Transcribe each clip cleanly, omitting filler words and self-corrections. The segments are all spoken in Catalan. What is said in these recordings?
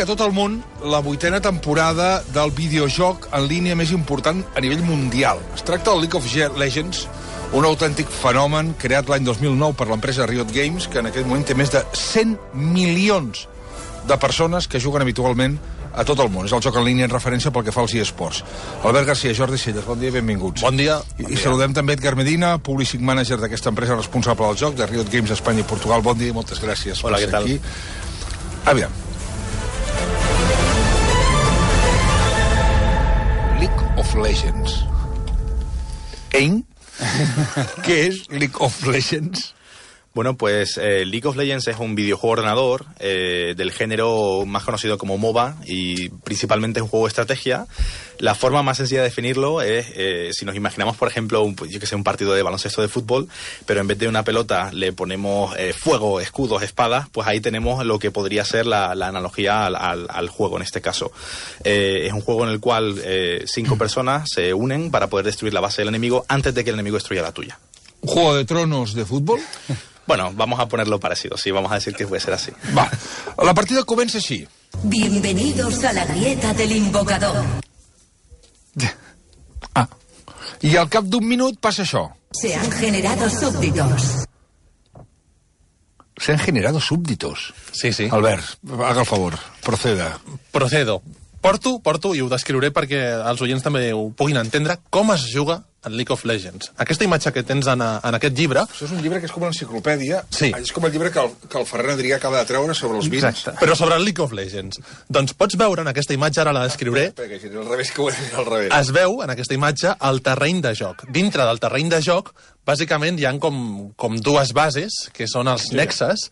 tot el món la 8ª temporada del videojoc en línia més important a nivell mundial. Es tracta del League of Legends, un autèntic fenomen creat l'any 2009 per l'empresa Riot Games, que en aquest moment té més de 100 milions de persones que juguen habitualment a tot el món. És el joc en línia en referència pel que fa als eSports. Albert Garcia, Jordi Celles, bon dia i benvinguts. Bon dia. I saludem també Edgar Medina, Publishing Manager d'aquesta empresa responsable del joc, de Riot Games Espanya i Portugal. Bon dia i moltes gràcies per ser aquí. Aviam. League of Legends. ¿Qué es League of Legends? Bueno, pues League of Legends es un videojuego ordenador del género más conocido como MOBA y principalmente es un juego de estrategia. La forma más sencilla de definirlo es, si nos imaginamos, por ejemplo, un partido de baloncesto de fútbol, pero en vez de una pelota le ponemos fuego, escudos, espadas, pues ahí tenemos lo que podría ser la analogía al juego en este caso. Es un juego en el cual 5 personas se unen para poder destruir la base del enemigo antes de que el enemigo destruya la tuya. ¿Un juego de tronos de fútbol? Bueno, vamos a ponerlo parecido, sí, vamos a decir que puede ser así. Va, la partida comença així. Bienvenidos a la grieta del invocador. I al cap d'un minut passa això. Se han generado súbditos. Se han generado súbditos. Sí, sí. Albert, haga el favor, proceda. Procedo. Porto, i ho descriuré perquè els oients també ho puguin entendre, com es juga en League of Legends. Aquesta imatge que tens en aquest llibre... Això és un llibre que és com una enciclopèdia. Sí. És com el llibre que el Ferran Adrià acaba de treure sobre els vins. Exacte. Però sobre el League of Legends. Doncs pots veure en aquesta imatge, ara la descriuré... Espera, que al revés, que ho he dit al revés. Es veu en aquesta imatge el terreny de joc. Dintre del terreny de joc, bàsicament hi ha com dues bases, que són els nexes,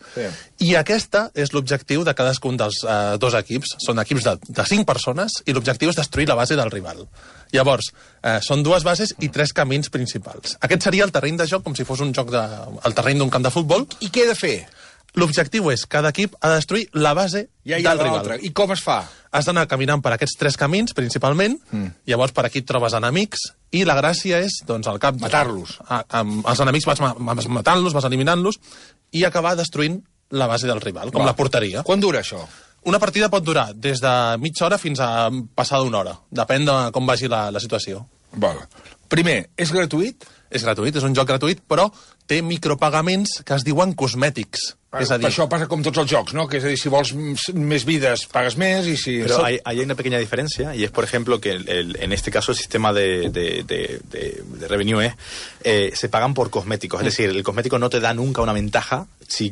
i aquesta és l'objectiu de cadascun dels dos equips. Són equips de 5 persones i l'objectiu és destruir la base del rival. Llavors, són 2 bases i 3 camins principals. Aquest seria el terreny de joc, com si fos un joc el terreny d'un camp de futbol. I què he de fer? L'objectiu és, cada equip ha de destruir la base del rival. I com es fa? Has d'anar caminant per aquests 3 camins, principalment, llavors per aquí et trobes enemics, i la gràcia és, doncs, al cap... Matar-los. Els enemics vas matant-los, vas eliminant-los, i acabar destruint la base del rival, com la porteria. Quan dura això? Una partida pot durar des de mitja hora fins a passar d'una hora. Depèn de com vagi la situació. Val. Primer, és gratuït? És gratuït, és un joc gratuït, però té micropagaments que es diuen cosmètics. És a dir... Això passa com tots els jocs, ¿no? Que és a dir, si vols més vides, pagues més, y si... Pero hay una pequeña diferencia, y es, por ejemplo, que en este caso el sistema de revenue se pagan por cosméticos. Es decir, el cosmético no te da nunca una ventaja. Si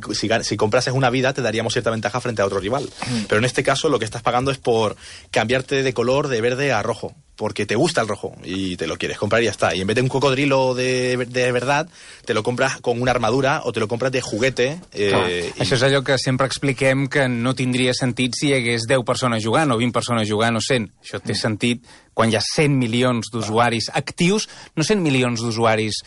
comprases una vida, te daríamos cierta ventaja frente a otro rival. Pero en este caso, lo que estás pagando es por cambiarte de color de verde a rojo, porque te gusta el rojo y te lo quieres comprar y ya está. Y en vez de un cocodrilo de verdad, te lo compras con una armadura o te lo compras de juguete. Això és allò que sempre expliquem, que no tindria sentit si hi hagués 10 persones jugant o 20 persones jugant o 100. Això té sentit quan hi ha 100 milions d'usuaris actius, no 100 milions d'usuaris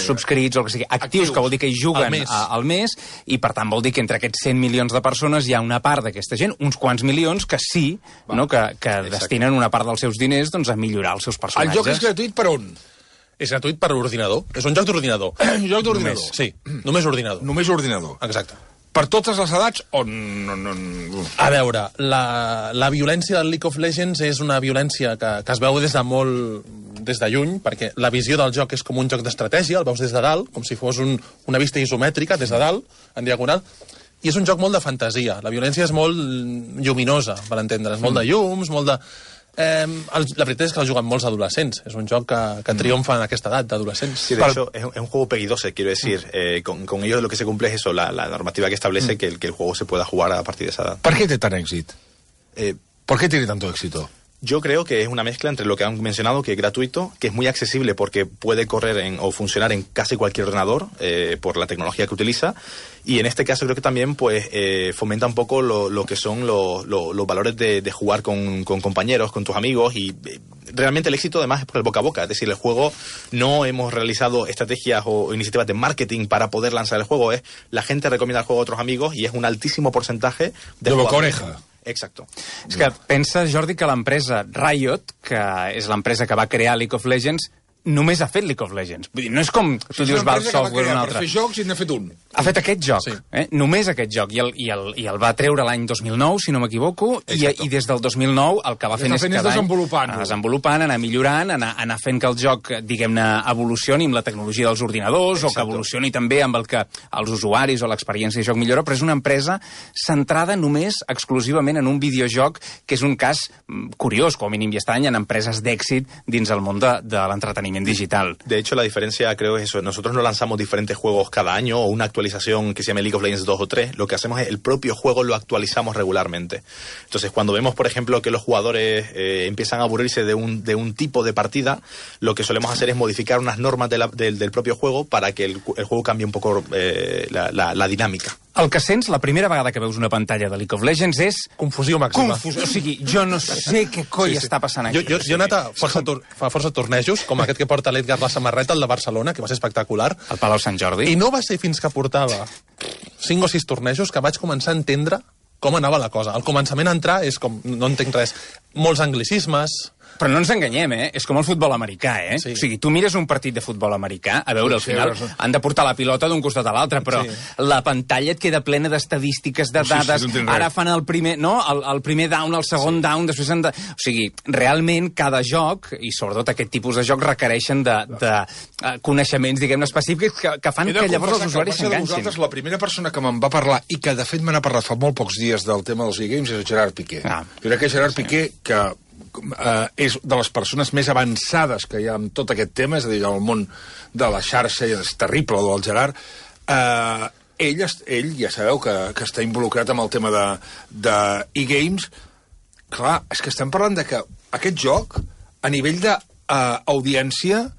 subscrits o el que sigui, actius, que vol dir que hi juguen al mes, i per tant vol dir que entre aquests 100 milions de persones hi ha una part d'aquesta gent, uns quants milions, que sí, no, que destinen una part dels seus diners, doncs, a millorar els seus personatges. El joc és gratuït per on? És gratuït per ordinador. És un joc d'ordinador. Un joc d'ordinador? Sí, només ordinador. Només ordinador. Exacte. Per totes les edats o no? A veure, la violència del League of Legends és una violència que es veu des de lluny, perquè la visió del joc és com un joc d'estratègia, el veus des de dalt, com si fos una vista isomètrica des de dalt, en diagonal, i és un joc molt de fantasia. La violència és molt lluminosa, per entendre's, molt de llums, molt de... la veritat és que el juguen molts adolescents. És un joc que triomfa en aquesta edat d'adolescents. Sí, de hecho, es un juego PEGI 12, quiero decir. Con ellos lo que se cumple es eso, la normativa que establece que el juego se pueda jugar a partir de esa edad. ¿Por qué té tant èxit? ¿Por qué tiene tanto éxito? Yo creo que es una mezcla entre lo que han mencionado, que es gratuito, que es muy accesible porque puede correr o funcionar en casi cualquier ordenador por la tecnología que utiliza, y en este caso creo que también pues fomenta un poco lo que son los valores de jugar con compañeros, con tus amigos, y realmente el éxito además es por el boca a boca. Es decir, el juego, no hemos realizado estrategias o iniciativas de marketing para poder lanzar el juego, es la gente recomienda el juego a otros amigos y es un altísimo porcentaje de boca a oreja. Exacto. És que pensa, Jordi, que l'empresa Riot, que és l'empresa que va crear League of Legends, només ha fet League of Legends. Vull dir, no és com tu dius Valve Software o un altre. Per fer jocs i n'ha fet un. Ha fet aquest joc, només aquest joc, i el va treure l'any 2009, si no m'equivoco, i des del 2009 el que va fent és cada any desenvolupant, anar millorant, anar fent que el joc, diguem-ne, evolucioni amb la tecnologia dels ordinadors, o que evolucioni també amb el que els usuaris o l'experiència de joc millora, però és una empresa centrada només exclusivament en un videojoc, que és un cas curiós, com a mínim, i està en empreses d'èxit dins el món de l'entreteniment digital. De hecho, la diferencia creo es eso. Nosotros no lanzamos diferentes juegos cada año o una actualización que se llame League of Legends 2 o 3. Lo que hacemos es el propio juego lo actualizamos regularmente. Entonces, cuando vemos, por ejemplo, que los jugadores empiezan a aburrirse de un tipo de partida, lo que solemos hacer es modificar unas normas del propio juego para que el juego cambie un poco la dinámica. El que sents la primera vegada que veus una pantalla de League of Legends és... Confusió màxima. O sigui, jo no sé què coi està passant aquí. Jo he anat a força tornejos, com aquest que porta l'Edgar la samarreta, el de Barcelona, que va ser espectacular. Al Palau Sant Jordi. I no va ser fins que portava 5 o 6 tornejos que vaig començar a entendre com anava la cosa. Al començament a entrar és com... no entenc res. Molts anglicismes... Però no ens enganyem, És com el futbol americà, Sí. O sigui, tu mires un partit de futbol americà, a veure, al final han de portar la pilota d'un costat a l'altre, però la pantalla et queda plena d'estadístiques, de dades, ara fan el primer, no? El primer down, el segon down, després han de... O sigui, realment, cada joc, i sobretot aquest tipus de joc, requereixen de coneixements, diguem-ne, específics que fan que llavors els usuaris s'enganxin. La primera persona que me'n va parlar, i que de fet me n'ha parlat fa molt pocs dies del tema dels e-games, és el Gerard Piqué. Jo crec que Gerard Piqué, que és de les persones més avançades que hi ha en tot aquest tema, és a dir, el món de la xarxa, és terrible, el del Gerard, ell ja sabeu que està involucrat amb el tema de e-games. Clar, és que estem parlant de que aquest joc, a nivell d'audiència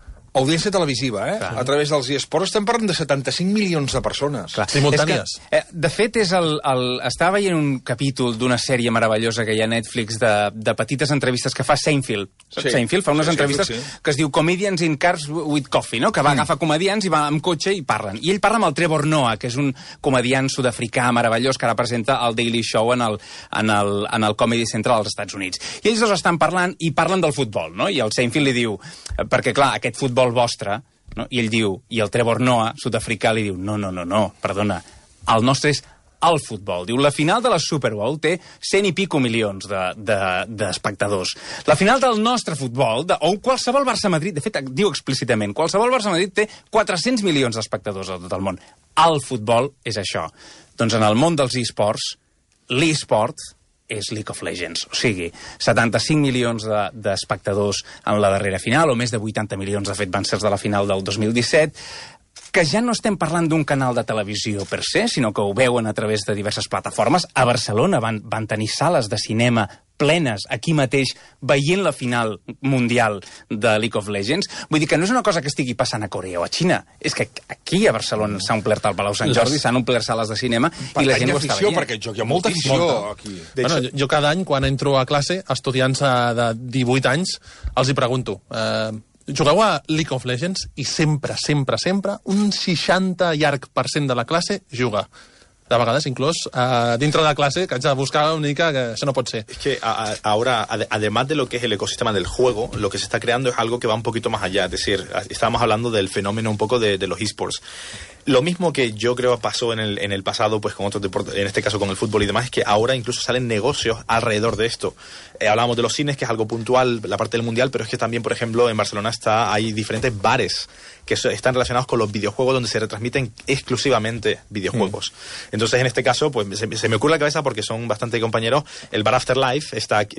televisiva, a través dels eSports, estem parlant de 75 milions de persones. Clar. Simultànies. De fet, estava veient un capítol d'una sèrie meravellosa que hi ha a Netflix de petites entrevistes que fa Seinfeld. Seinfeld fa unes entrevistes que es diu Comedians in Cars with Coffee, no? Que va agafar comedians i va amb cotxe i parlen. I ell parla amb el Trevor Noah, que és un comediant sud-africà meravellós que ara presenta el Daily Show en el Comedy Central als Estats Units. I ells dos estan parlant i parlen del futbol, no? I el Seinfeld li diu, perquè clar, aquest futbol vostre, no? I ell diu, i el Trevor Noah, sud-africà, li diu, no, perdona, el nostre és el futbol. Diu, la final de la Super Bowl té 100 i pico milions d'espectadors. La final del nostre futbol, o qualsevol Barça-Madrid, de fet, diu explícitament, qualsevol Barça-Madrid té 400 milions d'espectadors a tot el món. El futbol és això. Doncs en el món dels eSports, l'eSport és League of Legends. O sigui, 75 milions d'espectadors en la darrera final, o més de 80 milions, de fet, van ser de la final del 2017, que ja no estem parlant d'un canal de televisió per se, sinó que ho veuen a través de diverses plataformes. A Barcelona van tenir sales de cinema plenes, aquí mateix, veient la final mundial de League of Legends. Vull dir que no és una cosa que estigui passant a Corea o a Xina, és que aquí a Barcelona s'ha omplert el Palau Sant Jordi, s'han omplert sales de cinema i la gent ho està veient. Perquè hi ha molta afició aquí. Bueno, jo cada any, quan entro a classe, estudiants de 18 anys, els hi pregunto, jugueu a League of Legends? I sempre, un 60 llarg % de la classe juga. De vegades, inclús, dintre de la clase, que haig de buscar una mica que això no pot ser. Es que ahora, además de lo que es el ecosistema del juego, lo que se está creando es algo que va un poquito más allá. Es decir, estábamos hablando del fenómeno un poco de los eSports. Lo mismo que yo creo pasó en el pasado, pues con otros deportes, en este caso con el fútbol y demás, es que ahora incluso salen negocios alrededor de esto. Hablábamos de los cines, que es algo puntual, la parte del mundial, pero es que también, por ejemplo, en Barcelona hay diferentes bares que están relacionados con los videojuegos, donde se retransmiten exclusivamente videojuegos. Entonces, en este caso, pues se me ocurre la cabeza, porque son bastante compañeros. El bar Afterlife está aquí,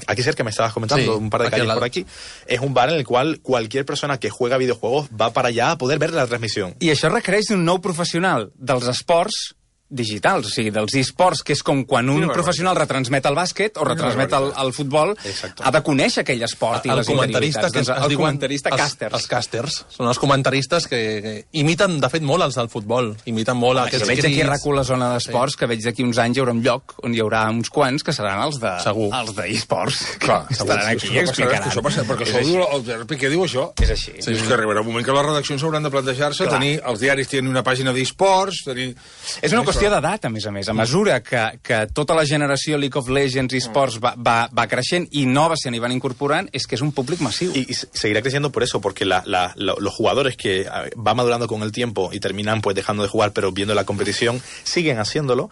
aquí cerca, me estabas comentando, un par de calles por aquí. Es un bar en el cual cualquier persona que juega videojuegos va para allá a poder ver la transmisión. I això requereix un nou professional dels esports digitals, o sigui, dels eSports, que és com quan un professional retransmet el bàsquet o retransmet el futbol, ha de conèixer aquell esport i les interioritats. Doncs el comentarista, casters. Els casters. Són els comentaristes que imiten, de fet, molt els del futbol. Imiten molt aquests crits. Veig aquí a RAC1 la zona d'esports, que veig d'aquí uns anys hi haurà un lloc on hi haurà uns quants que seran els d'eSports. Clar, estaran aquí i explicaran. Perquè això diu, el Gerard Piqué diu això. És així. És que arribarà un moment que les redaccions hauran de plantejar-se, els diaris tenen una pàgina d'eSports, és una qüestió qüestió d'edat, a més. A mesura que tota la generació League of Legends i esports va creixent i noves se n'hi van incorporant, és que és un públic massiu. Y seguirá creciendo por eso, porque los jugadores que van madurando con el tiempo y terminan pues dejando de jugar, pero viendo la competición, siguen haciéndolo,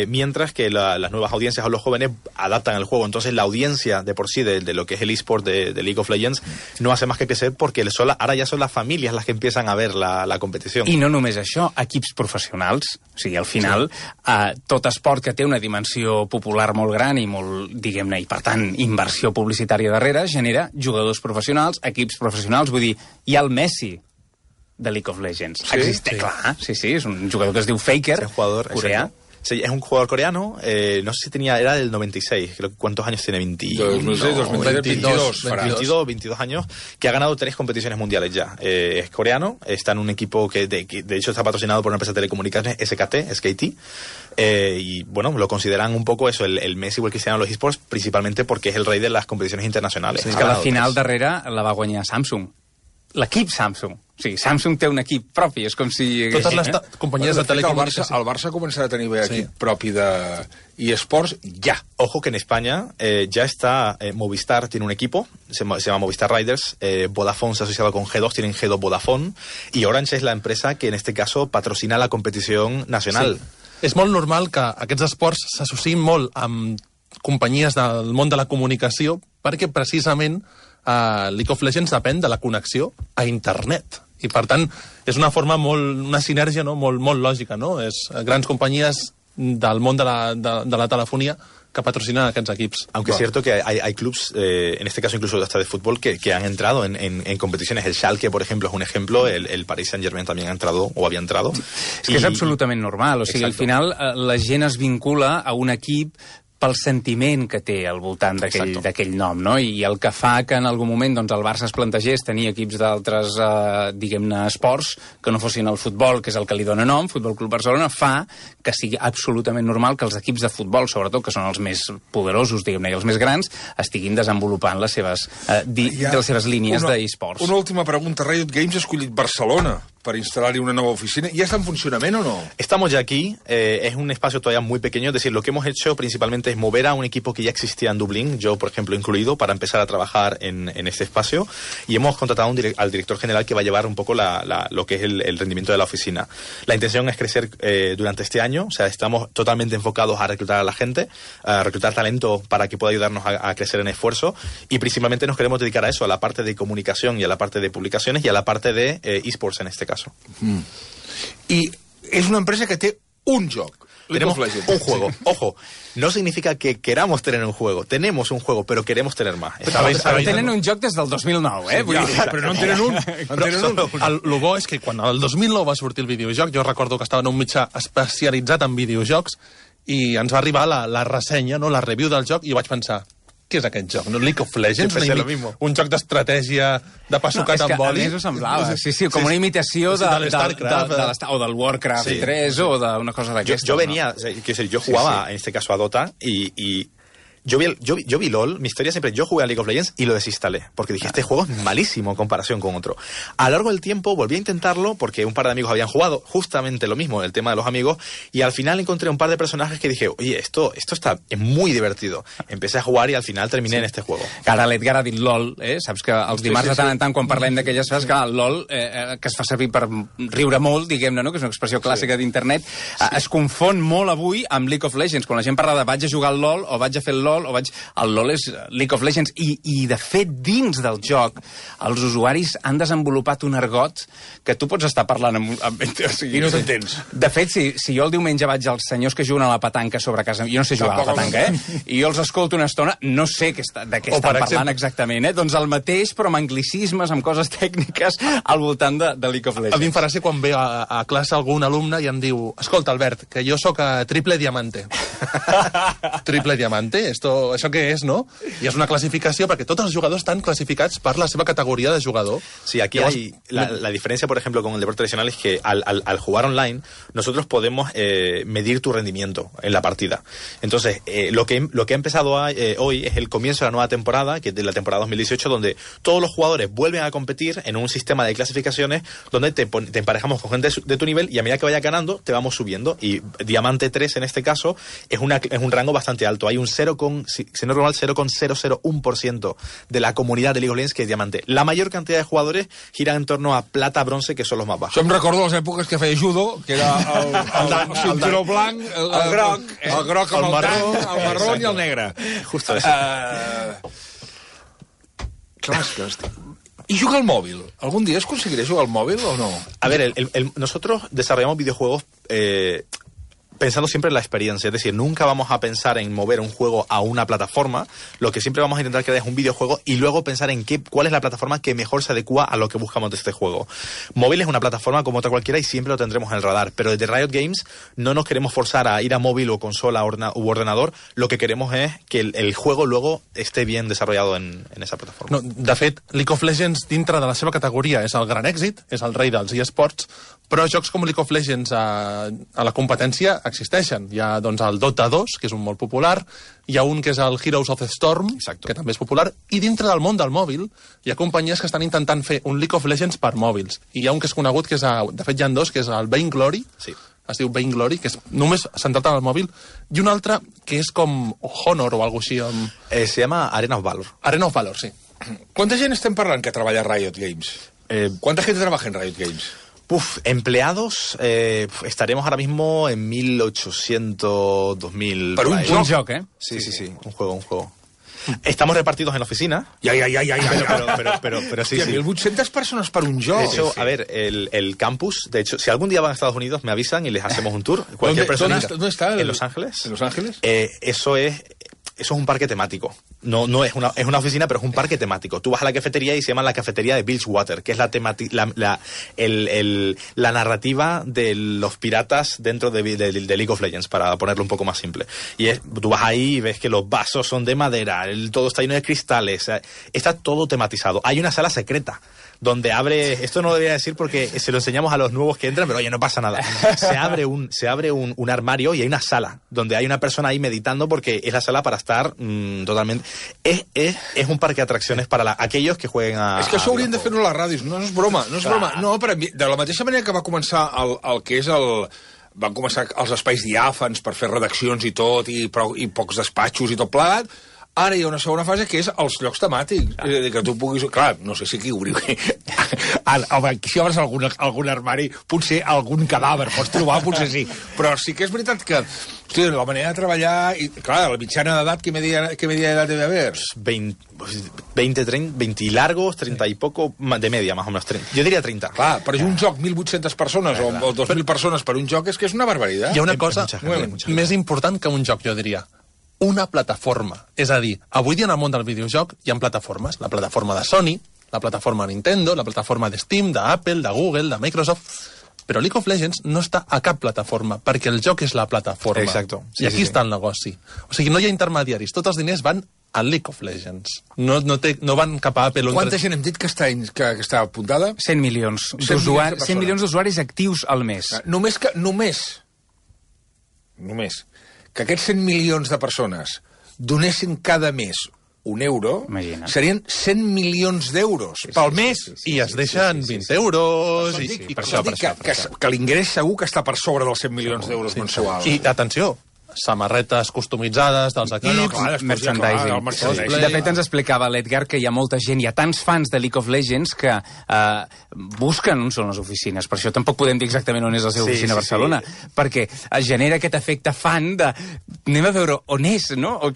mientras que las nuevas audiencias o los jóvenes adaptan el juego. Entonces la audiencia de por sí de lo que es el eSport de League of Legends no hace más que crecer, porque ahora ya son las familias las que empiezan a ver la competición. I no només això, equips professionals. O sigui, al final, tot esport que té una dimensió popular molt gran i molt, diguem-ne, i per tant, inversió publicitària darrere, genera jugadors professionals, equips professionals. Vull dir, hi ha el Messi de League of Legends. Sí, Existe, clar. Sí, és un jugador que es diu Faker, Es un jugador coreà. exacto. Sí, es un jugador coreano, no sé si era del 96, creo que ¿cuántos años tiene? 22 años, que ha ganado 3 competiciones mundiales ya. Es coreano, está en un equipo que de hecho está patrocinado por una empresa de telecomunicaciones, SKT, y bueno, lo consideran un poco eso, el Messi o el Cristiano de los esports, principalmente porque es el rey de las competiciones internacionales. Sí, és que la final darrere la va guanyar Samsung. L'equip Samsung. O sigui, Samsung té un equip propi, és com si... Totes les companyies de telecomunicació. El Barça començarà a tenir equip propi eSports ja. Ojo que en España ya está Movistar, tiene un equipo, se llama Movistar Riders, Vodafone se ha asociado con G2, tienen G2 Vodafone, y Orange es la empresa que en este caso patrocina la competición nacional. Sí. És molt normal que aquests esports s'associïn molt amb companyies del món de la comunicació, perquè precisament League of Legends depèn de la connexió a internet. I, per tant, és una forma una sinergia molt lògica, no? És grans companyies del món de la telefonia que patrocinan aquests equips. Aunque es cierto que hay clubs, en este caso incluso hasta de fútbol, que han entrado en competiciones. El Schalke, por ejemplo, es un ejemplo. El Paris Saint-Germain también ha entrado, o había entrado. És que és absolutament normal. O sigui, al final la gent es vincula a un equip pel sentiment que té al voltant d'aquell nom, no? I el que fa que en algun moment doncs, el Barça es plantegés tenir equips d'altres, diguem-ne, esports que no fossin el futbol, que és el que li dona nom, Futbol Club Barcelona, fa que sigui absolutament normal que els equips de futbol, sobretot, que són els més poderosos, diguem-ne, i els més grans, estiguin desenvolupant les seves línies d'esports. Una última pregunta. Riot Games ha escollit Barcelona para instalar una nueva oficina. ¿Ya está en funcionamiento o no? Estamos ya aquí. Es un espacio todavía muy pequeño. Es decir, lo que hemos hecho principalmente es mover a un equipo que ya existía en Dublín, yo, por ejemplo, incluido, para empezar a trabajar en este espacio. Y hemos contratado al director general que va a llevar un poco lo que es el rendimiento de la oficina. La intención es crecer durante este año. O sea, estamos totalmente enfocados a reclutar a la gente, a reclutar talento para que pueda ayudarnos a crecer en esfuerzo. Y principalmente nos queremos dedicar a eso, a la parte de comunicación y a la parte de publicaciones y a la parte de esports en este caso. Y es una empresa que tiene un joc. Tenemos un juego. Sí. Ojo, no significa que queramos tener un juego. Tenemos un juego, però queremos tener más. Tenen un joc des del 2009, eh? Sí, però no en tenen un. Lo bo és que quan el 2009 va sortir el videojoc, jo recordo que estava en un mitjà especialitzat en videojocs i ens va arribar la ressenya, no, la review del joc, i vaig pensar, què és aquest joc? No? League of Legends? Un joc d'estratègia de pa sucat amb oli? A més ho semblava, sí, com una imitació de l'StarCraft o del Warcraft 3 o d'una cosa d'aquesta. Yo jugaba en este caso a Dota y yo vi LOL, mi historia siempre, yo jugué a League of Legends y lo desinstalé, porque dije, este juego es malísimo en comparación con otro. A lo largo del tiempo volví a intentarlo, porque un par de amigos habían jugado justamente lo mismo, el tema de los amigos, y al final encontré un par de personajes que dije, oye, esto es muy divertido. Empecé a jugar y al final terminé en este juego. Ara l'Edgar ha dit LOL, saps que els dimarts de tant en tant, quan parlem d'aquelles coses, que el LOL, que es fa servir per riure molt, diguem-ne, no? Que és una expressió clàssica d'internet, es confon molt avui amb League of Legends. Quan la gent parla de vaig a jugar al LOL o vaig a fer el LOL, el LOL és League of Legends i de fet dins del joc els usuaris han desenvolupat un argot que tu pots estar parlant i no t'entens. De fet, si jo el diumenge vaig als senyors que juguen a la petanca sobre casa, jo no sé jugar a la petanca, i jo els escolto una estona, no sé de què estan parlant exactament, doncs el mateix però amb anglicismes, amb coses tècniques al voltant de League of Legends. A mi em farà ser quan ve a classe algun alumne i em diu, escolta Albert, que jo sóc a triple diamante. Triple diamante, això què és, no? I és una clasificació perquè tots els jugadors estan clasificats per la seva categoría de jugador. Sí, aquí hay la diferencia, por ejemplo, con el deporte tradicional es que al jugar online nosotros podemos medir tu rendimiento en la partida. Entonces, lo que ha empezado hoy es el comienzo de la nueva temporada, que es de la temporada 2018, donde todos los jugadores vuelven a competir en un sistema de clasificaciones donde te emparejamos con gente de tu nivel y a medida que vayas ganando te vamos subiendo. Y Diamante 3 en este caso es un rango bastante alto. Hay un 0,001% de la comunidad de League of Legends que es Diamante. La mayor cantidad de jugadores giran en torno a plata, bronce, que son los más bajos. Això em recordo les èpoques que feia judo, que era el cinturó blanc, el groc amb el marró, el marró i el negre. Justo eso. Clar, ¿y jugar al móvil? ¿Algún día os conseguiré jugar al móvil o no? A ver, nosotros desarrollamos videojuegos pensando siempre en la experiencia, es decir, nunca vamos a pensar en mover un juego a una plataforma, lo que siempre vamos a intentar crear es un videojuego y luego pensar en cuál es la plataforma que mejor se adecua a lo que buscamos de este juego. Móvil es una plataforma como otra cualquiera y siempre lo tendremos en el radar, pero desde Riot Games no nos queremos forzar a ir a móvil o consola u ordenador, lo que queremos es que el juego luego esté bien desarrollado en esa plataforma. No, de fet, League of Legends dintre de la seva categoria és el gran èxit, és el rei dels eSports, però jocs com League of Legends a la competència existeixen. Hi ha doncs, el Dota 2, que és un molt popular, hi ha un que és el Heroes of the Storm, Exacto. que també és popular, i dintre del món del mòbil hi ha companyies que estan intentant fer un League of Legends per mòbils. I hi ha un que és conegut, que és, de fet hi ha dos, que és el Vainglory, Sí. es diu Vainglory, que és només centrat en el mòbil, i un altre que és com Honor o alguna cosa així. Se llama Arena of Valor. Arena of Valor, sí. ¿Cuánta gent estem parlant que treballa a Riot Games? ¿Cuánta gente trabaja en Riot Games? Empleados, estaremos ahora mismo en 1.800, 2.000... Per un ahí. joc? Un joc, eh? Sí, un juego. Estamos repartidos en la oficina. Ja. Pero sí, Hòstia, sí. 1.800 persones per un joc. De hecho, a ver, el campus, de hecho, si algún día van a Estados Unidos, me avisan y les hacemos un tour. Cualquier persona. ¿Dónde está? En Los Ángeles. ¿En Los Ángeles? Eso es un parque temático. No es una oficina, pero es un parque temático. Tú vas a la cafetería y se llama la cafetería de Bilgewater, que es la narrativa de los piratas dentro de League of Legends, para ponerlo un poco más simple. Y tú vas ahí y ves que los vasos son de madera, todo está lleno de cristales, está todo tematizado. Hay una sala secreta donde esto no lo debería decir porque se lo enseñamos a los nuevos que entran, pero oye, no pasa nada. Se abre un armario y hay una sala donde hay una persona ahí meditando, porque es la sala para estar totalmente... Es un parque de atracciones para aquellos que jueguen a... És que això haurien de fer-ho a les ràdios, no és broma, no és broma. No, de la mateixa manera que va començar el que és el... Van començar els espais diàfans per fer redaccions i tot, i pocs despatxos i tot plegat. Ara hi ha una segona fase que és els llocs temàtics. És a dir, que tu puguis... Clar, no sé si aquí obriu... Home, si obres algun armari, potser algun cadàver pots trobar, potser sí. Però sí que és veritat que... Hosti, la manera de treballar... I, clar, la mitjana d'edat, ¿qué media edad debe haber? 20 largos, 30 y poco, de media, más o menos. 30. Yo diría 30. Clar, però un joc, 1.800 persones o 2.000 persones per un joc, és que és una barbaritat. Hi ha una cosa mucha més important que un joc, jo diria. Una plataforma. És a dir, avui dia en el món del videojoc hi ha plataformes. La plataforma de Sony, la plataforma de Nintendo, la plataforma de Steam, d'Apple, de Google, de Microsoft... Però League of Legends no està a cap plataforma, perquè el joc és la plataforma. Exacto. Sí, I aquí està el negoci. O sigui, no hi ha intermediaris. Tots els diners van a League of Legends. No van cap a Apple. Quanta gent hem dit que està apuntada? 100 milions 100 milions d'usuaris actius al mes. Només que aquests 100 milions de persones donessin cada mes €1, Imagina't. serien 100 milions d'euros pel mes. I es deixen 20 euros... I per això que l'ingrés segur que està per sobre dels 100 milions d'euros mensuals. I, atenció, samarretes customitzades dels equips, merchandising. De fet, ens explicava l'Edgar que hi ha molta gent, hi ha tants fans de League of Legends que busquen on són les oficines. Per això tampoc podem dir exactament on és la seva oficina a Barcelona, perquè es genera aquest efecte fan de anem a veure on és, ¿no? O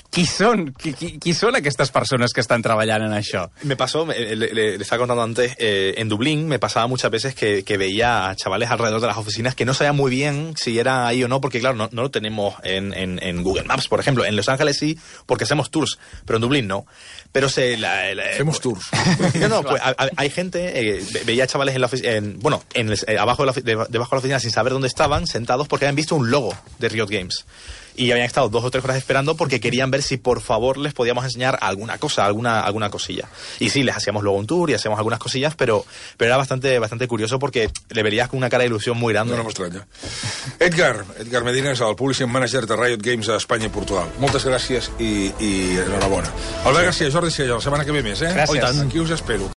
qui són? Qui són aquestes persones que estan treballant en això? Me pasó, le estaba contando antes, en Dublín me pasaba muchas veces que veía a chavales alrededor de las oficinas que no sabían muy bien si era ahí o no, porque claro, no lo tenemos en Google Maps, por ejemplo. En Los Ángeles sí, porque hacemos tours, pero en Dublín no. Pero hacemos tours. No, pues hay gente, veía chavales en la oficina, debajo de la oficina sin saber dónde estaban, sentados porque habían visto un logo de Riot Games. y habían estado 2 o 3 horas esperando porque querían ver si por favor les podíamos enseñar alguna cosa, alguna cosilla. Y sí, les hacíamos luego un tour y hacíamos algunas cosillas, pero era bastante curioso porque le verías con una cara de ilusión muy grande. No m'estranya. Edgar Medina és el Publishing Manager de Riot Games a Espanya i Portugal. Moltes gràcies i enhorabona. Albert García, Jordi Sella, la setmana que ve més, eh? Gràcies. Aquí us espero.